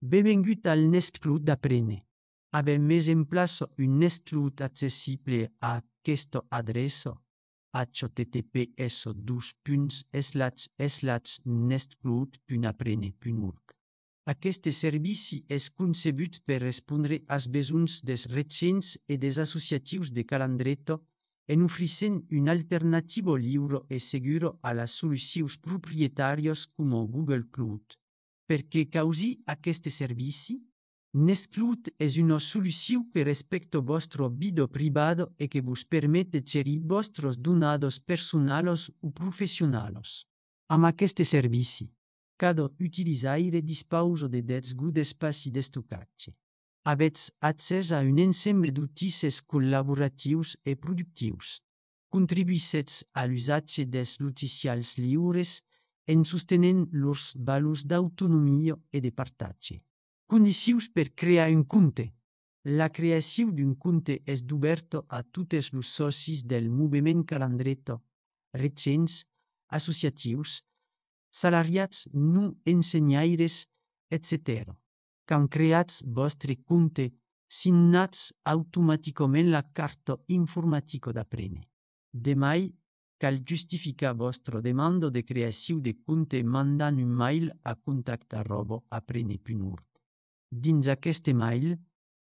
Benvingut al Nest Cloud d'Aprene. Avem mes en place un Nest Cloud accessible a aquesta adreça https://nestcloud.aprene.org. Aquest servici és concebut per respondre als besoins dels recents i dels associatius de Calandreto en oferint una alternativa lliure i segura a les solucions proprietàries com Google Cloud. Per què causi aquest servici? Nest Cloud és una solució que respecta vostra vida privada i que vos permet de gerir vostres dades personals o professionals. Amb aquest servici, cada utilitzaire disposa de 10 GB d'espai d'estocatge. Avets accés a un ensemble d'outils col·laboratius i productius. Contribuïssetz a l'usatge dels logicials lliures en sostenint lors valors d'autonomia i de partatge. Condicions per crear un compte. La creació d'un compte és oberta a tots els socis del moviment Calandreto, recents, associatius, salariats no ensenyaires, etc. Quan creats vostre compte, signats automàticament la carta informàtica d'Aprene. Demai, cal justificar vostra demanda de creació de compte mandant un mail a contact@aprene.org. Dins aquest email,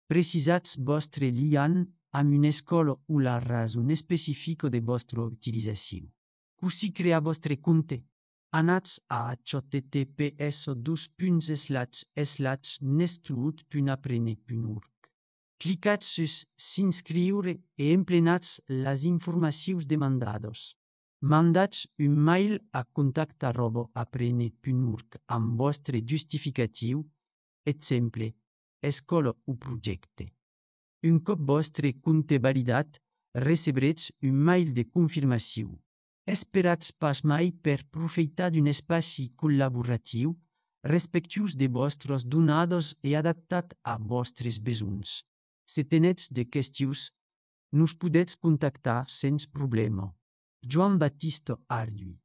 precisatz vostre lien amb una escola o la raó específica de vostra utilització. Così crear vostre compte. Anatz a https://nestcloud.aprene.org. Clicatz sus s'inscriure i emplenatz les informacions demandades. Mandatz un mail a contact@aprene.org amb vostre justificatiu, exemple, escola o projecte. Un cop vostre compte validat, recebretz un mail de confirmació. Esperatz pas mai per profitar d'un espai col·laboratiu, respectuós de vostres dades i adaptat a vostres besoins. Si tenetz de qüestions, nos podetz contactar sense problema. Joan Baptista Arduí.